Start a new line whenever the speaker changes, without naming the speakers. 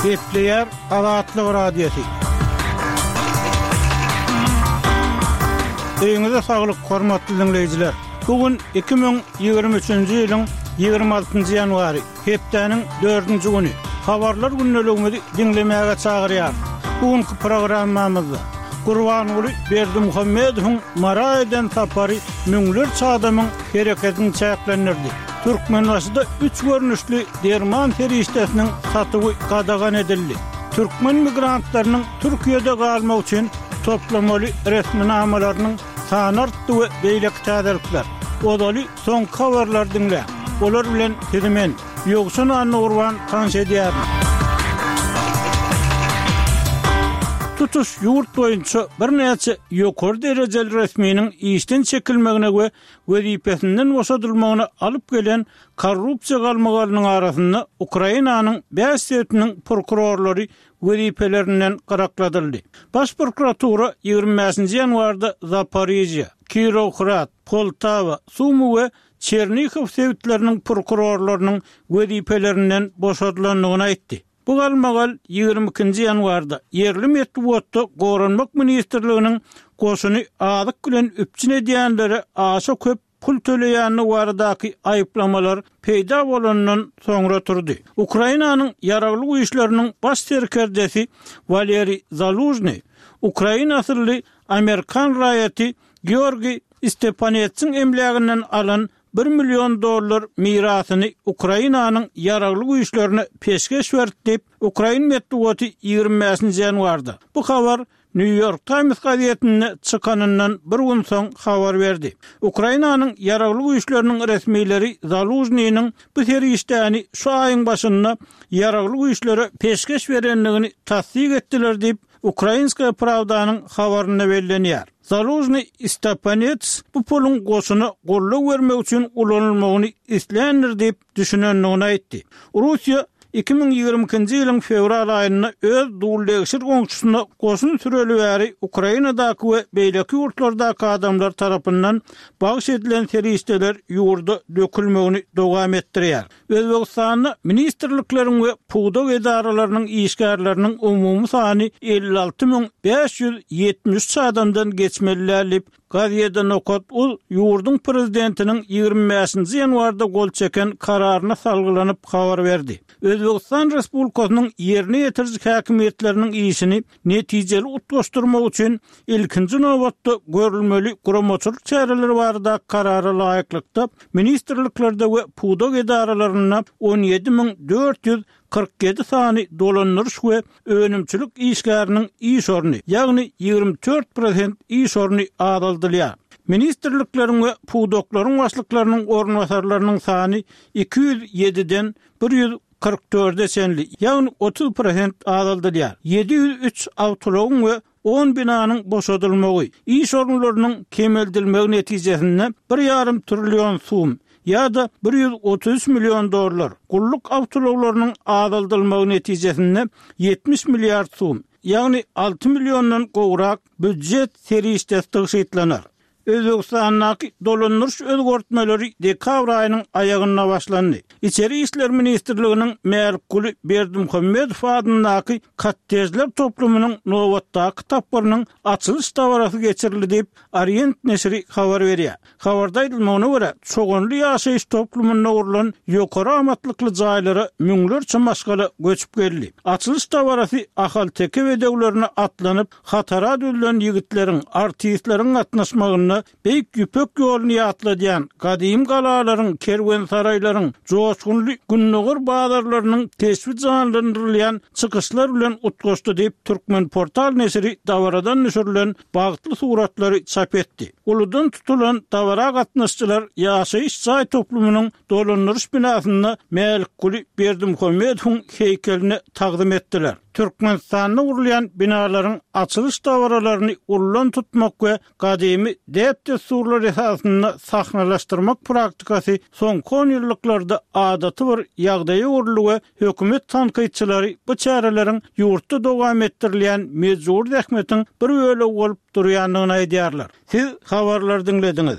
Gepleýär Azatlyk Radiosy. Öýüňize saglyk, hormatly diňleýjiler! Bu gün 2023-nji ýylyň 26-njy ýanwary, hepdäniň dördünji güni. Habarlar gündeligimizi diňlemäge çagyrýarys. Bu günki programmamyzda Gurbanguly Berdimuhamedowyň Mara eden sapary müňlerçe adamyň hereketini çäklendirdi. Türkmenbaşyda üç görnüşli derman serişdesiniň satuwy gadagan edildi. Türkmen migrantlarynyň Türkiýede galmak üçin toplamaly resminamalarynyň sany artdy we beýleki täzelikler. Ozaly soňky habarlary diňläň. Olar bilen sizi men, Ýowşan Annagurban tanyş edýärin. Tutuş ýurt boýunça birnäçe ýokary derejeli resminiň işden çekilmegine we wezipesinden boşadylmagyna alyp gelen korrupsiýa galmagalynyň arasynda Ukrainanyň bäş sebitiniň prokurorlary wezipelerinden gyrakladyldy. Baş prokuratura 25-nji ýanwarda Zaporižýa, Kirowohrad, Poltawa, Sumy we Çernihow sebitleriniň prokurorlarynyň wezipelerinden boşadylandygyny aýtdy. Bu galmagal 22-nji ýanwarda ýerli metbugatda Goranmak ministrliginiň goşuny azyk bilen üpjün edýänlere aşa köp pul töleýändigi baradaky aýyplamalar peýda bolandan soňra turdy. Ukrainanyň Ýaragly Güýçleriniň baş serkerdesi Waleriý Zalužnyý ukrain asylly amerikan raýaty Georgiý Stepanetsiň emläginden alan bir million dollar mirasyny Ukrainanyň Ýaragly Güýçlerine peşgeş berdi diýip, ukrain metbugaty 25-nji ýanwarda, bu habar New York Times gazetinde çykanyndan bir gün soň habar berdi. Ukrainanyň Ýaragly Güýçleriniň resmileri Zalužnynyň bu serişdäni şu aýyň başynda Ýaragly Güýçlere peşgeş berendigini tassyk etdiler diýip, Ukrainskaýa Prawdanyň habarynda bellenýär. Zalužnyý Stepanets bu puluň goşuna goldaw bermek üçin ulanylmagyny isländir diýip düşünendigini aýtdy. Russiýa 2022-nji ýylyň fewral aýynda öz duldegşir goňşusyna goşun süreli bäri Ukrainadaky we beýleki ýurtlardaky adamlar tarapyndan bagyş edilen serişdeler ýurda dökülmegini dowam etdirýär. Özbegistanda ministrlikleriň we pudak edaralarynyň işgärleriniň umumy sany 56 573 adamdan geçmeli däl diýip, Gazeta Nokat uz ýurduň prezidentiniň 25-nji ýanwarda gol çeken kararyna salgylanyp habar berdi. Özbegistan Respublikasynyň ýerine ýetiriji häkimiýetleriniň işini netijeli utgaşdyrmak üçin ilkinji nobatda görülmeli guramaçylyk çäreleri baradaky karara laýyklykda, ministrliklerde we pudak edaralarynda 17 447 sany dolandyryş we önümçilik işgäriniň iş orny, ýagny 24 prosent iş orny azaldylýar. Ministrlikleriň we pudaklaryň başlyklarynyň orunbasarlarynyň sany 207-den 144-e çenli, ýagny 30 prosent azaldylýar. 703 awtoulagyň we on binanyň boşadylmagy, iş orunlarynyň kemeldilmegi netijesinde bir ýarym trillion sum ýa-da 133 million dollar, gulluk awtoulaglarynyň azaldylmagy netijesinde 70 milliard sum, ýagny 6 milliondan gowrak býujet serişdesi tygşytlanar. Özbegistandaky dolandyryş özgertmeleri dekabr aýynyň aýagynda başlandy. Içeri işler ministrliginiň Mälikguly Berdimuhamedow adyndaky kottejler toplumynyň nobatdaky tapgyrynyň açylyş dabarasy geçirildi diýip, Orient neşiri habar berýär. Habarda aýdylmagyna görä, Çoganly ýaşaýyş toplumynda gurlan ýokary amatlykly jaýlara müňlerçe maşgala göçüp geldi. Açylyş dabarasy ahalteke bedewlerine atlanyp, Hatara düzülen ýigitleriň, artistleriň gatnaşmagynda Beýik Ýüpek ýoluny ýatladýan gadymy galalaryň, kerwensaraýlaryň, joşgunly gündogar bazarlarynyň keşbi janlandyrylýan çykyşlar bilen utgaşdy diýip, Turkmenportal neşiri dabaradan düşürilen bagtly suratlary çap etdi. Uludan tutulan dabara gatnaşyjylar ýaşaýyş jaý toplumynyň dolandyryş binasynda Mälikguly Berdimuhamedowyň heýkeline tagzym etdiler. Türkmenistanda gurulýan binalaryň açylyş dabaralaryny ullan tutmak we gadymy däp-dessurlar esasynda sahnalaşdyrmak praktikasy soňky onýyllyklarda adaty bir ýagdaýa öwrüldi we hökümet tankytçylary bu çäreleriň ýurtda dowam etdirilýän mejbury zähmetiň bir bölegi bolup durýandygyny aýdýarlar. Siz habarlary diňlediňiz.